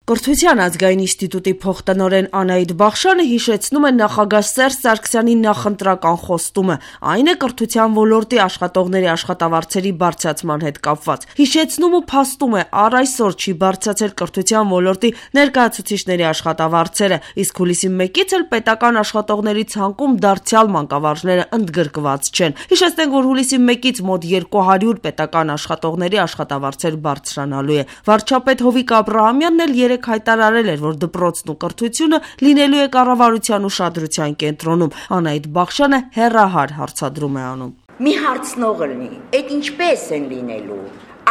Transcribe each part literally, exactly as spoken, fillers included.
Կրթության ազգային ինստիտուտի փոխտնօրեն Անահիտ Բախշյանը հիշեցնում է նախագահ Սերժ Սարգսյանի նախընտրական խոստումը, այն է կրթության ոլորտի աշխատողների աշխատավարձերի բարձրացման հետ կապված։ Հիշեցնում ու փաստում է, առ այսօր չի բարձրացել կրթության ոլորտի ներկայացուցիչների աշխատավարձերը, իսկ հուլիսի մեկից էլ պետական աշխատողների ցանկում դարձյալ մանկավարժները ընդգրկված չեն։ Հիշեցնենք, որ հուլիսի մեկից մոտ երկու հարյուր պետական աշխատողների աշխատավարձեր բարձրանալու է։ Վարչապետ Հովիկ Աբրահամյանն էլ երեք հայտարարել էր, որ դպրոցն ու կրթությունը լինելու է կառավարության ուշադրության կենտրոնում։ Անահիտ Բախշյանը հեռահար հարցադրում է անում։ Մի հարցնող լինի, այդ ինչպես են լինելու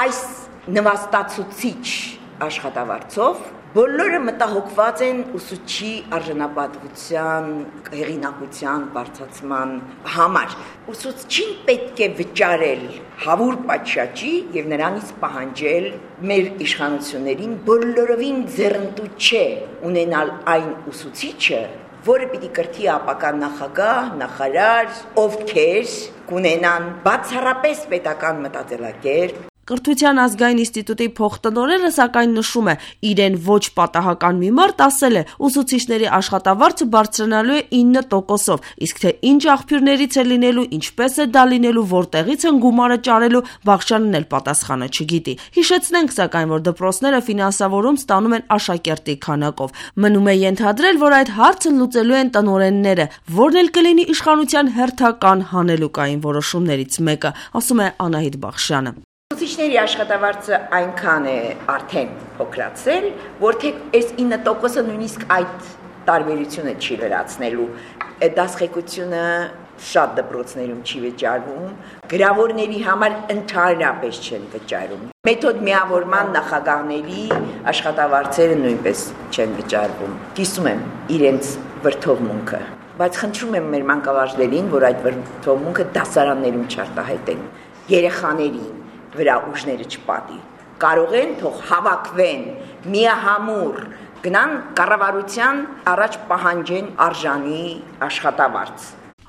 այս նվաստացուցիչ աշխատավարձով, բոլորը մտահոգված են ուսուցչի արժանապատվության, հեղինակության բարձրացման համար։ Ուսուցչին պետք է վճարել հավուր պատշաճի եւ նրանից պահանջել մեր իշխանություններին բոլորովին ձեռնտու չէ ունենալ այն ուսուցիչը, որը պիտի կրթի ապական նախագահ, նախարար, ովքեր կունենան բացառապես պետական մտածելակերպ։ Կրթության ազգային ինստիտուտի փոխտնօրենը սակայն նշում է, իրեն ոչ պատահական մի մարդ ասել է, ուսուցիչների աշխատավարձը բարձրանալու է ինը տոկոսով, իսկ թե ինչ աղբյուրներից է լինելու, ինչպես է դա լինելու, որտեղից են գումարը ճարելու, Բախշյանն էլ պատասխանը չգիտի։ Հիշեցնենք սակայն, որ դպրոցները ֆինանսավորում ստանում են աշակերտի քանակով։ Մնում է ենթադրել, որ այդ հարցը լուծելու են տնօրենները, որն էլ կլինի իշխանության հերթական հանելուկային որոշումներից մեկը, ասում է Անահիտ Բախշյանը։ Ուսուցիչների աշխատավարձը այնքան է արդեն փոքրացել, որ թե այս ինը տոկոսը նույնիսկ այդ տարբերությունը չի լրացնելու։ Դասղեկությունը շատ դպրոցներում չի վճարվում, գրավորների համար ընդհանրապես չեն վճարում։ Մեթոդ միավորման նախագահների աշխատավարձերը նույնպես չեն վճարվում։ Կիսում եմ իրենց վրդովմունքը, բայց խնդրում եմ մեր մանկավարժներին, որ այդ վրդովմունքը դասարաններում չարտահայտեն, երեխաներին վրա ուժները չպատի, կարող են թող հավաքվեն, միահամուռ գնան կառավարության առաջ պահանջեն արժանի աշխատավարձ։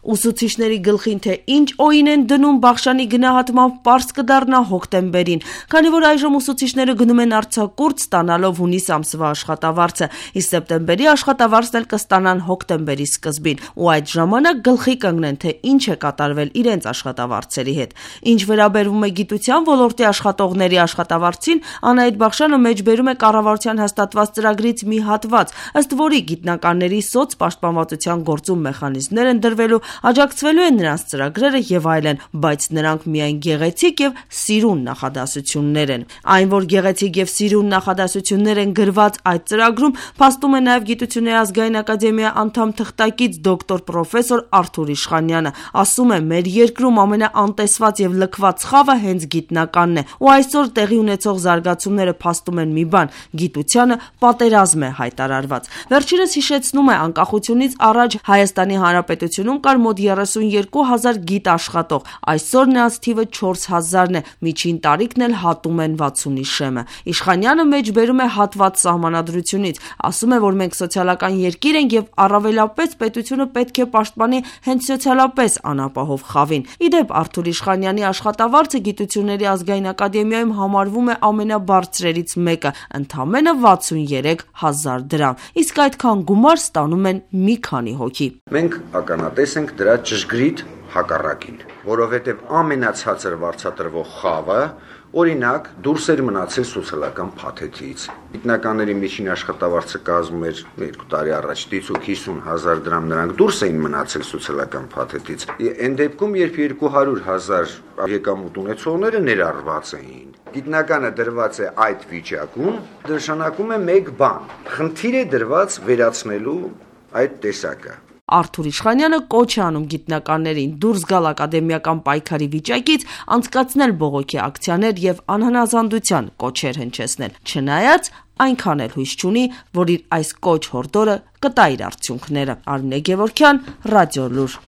Ուսուցիչների գլխին թե ինչ օին են դնում Բախշյանի գնահատմամբ պարզ կդառնա հոկտեմբերին, քանի որ այժմ ուսուցիչները գնում են արձակուրդ ստանալով հունիս ամսվա աշխատավարձը, իսկ սեպտեմբերի աշխատավարձն էլ կստանան հոկտեմբերի սկզբին, ու այդ ժամանակ գլխի կընկնեն, թե ինչ է կատարվել իրենց աշխատավարձերի հետ։ Ինչ վերաբերվում է գիտության ոլորտի աշխատողների աշխատավարձին, Անահիտ Բախշյանը մեջբերում է կառավարության հաստատված ծրագրից մի հատված, ըստ որի գիտնականների սոցպաշտպանվածության գործում մեխանիզմներ են դրվելու, աջակցվելու են նրանց ծրագրերը եւ այլն, բայց նրանք միայն գեղեցիկ եւ սիրուն նախադասություններ են։ Այն, որ գեղեցիկ եւ սիրուն նախադասություններ են գրված այդ ծրագրում, փաստում է նաեւ Գիտությունների ազգային ակադեմիայի անդամ թղթակից դոկտոր պրոֆեսոր Արթուր Իշխանյանը։ Ասում է, մեր երկրում ամենաանտեսված եւ լքված խավը հենց գիտնականն է, ու այսօր տեղի ունեցող զարգացումները փաստում են մի բան՝ գիտությանը պատերազմ է հայտարարված։ Վերջինս հիշեցնում է, անկախությունից առաջ Հայաստանի Հանրապետությունում կար մոտ երեսունյոթ հազար գիտ աշխատող, այսօր նրանց թիվը չորս հազարն է, միջին տարիքն էլ հատում են վաթսունի շեմը։ Իշխանյանը մեջբերում է հատված սահմանադրությունից, ասում է, որ մենք սոցիալական երկիր ենք եւ առավելապես պետությունը պետք է պաշտպանի հենց սոցիալապես անապահով խավին։ Իդեպ Արթուր Իշխանյանի աշխատավարձը Գիտությունների ազգային ակադեմիայում համարվում է ամենաբարձրերից մեկը, ընդամենը վաթսուներեք հազար դրամ, իսկ այդքան գումար ստանում են մի քանի հոգի։ Մենք ականատես ենք դրա ճշգրիտ հակառակին, որովհետև ամենացածր վարձատրվող խավը օրինակ դուրս էր մնացել սոցիալական փաթեթից։ Գիտնականների միջին աշխատավարձը կազմում էր երկու տարի առաջ դիցուկ հիսուն հազար դրամ, նրանք դուրս էին մնացել սոցիալական փաթեթից։ Այն դեպքում, երբ երկու հարյուր հազար եկամուտ ունեցողները ներառված էին, գիտնականը դրված է այդ վիճակում, նշանակում է մեկ բան՝ խնդիր է դրված վերացնելու այդ տեսակը։ Արթուր Իշխանյանը կոչ է անում գիտնականներին դուրս գալ ակադեմիական պայքարի վիճակից, անցկացնել բողոքի ակցիաներ եւ անհնազանդության կոչեր հնչեցնել, չնայած այնքան էլ հույս չունի, որ իր այս կոչ հորդորը կտա իր արդյունքները։ Արմինե Գևորգյան, Ռադիոլուր։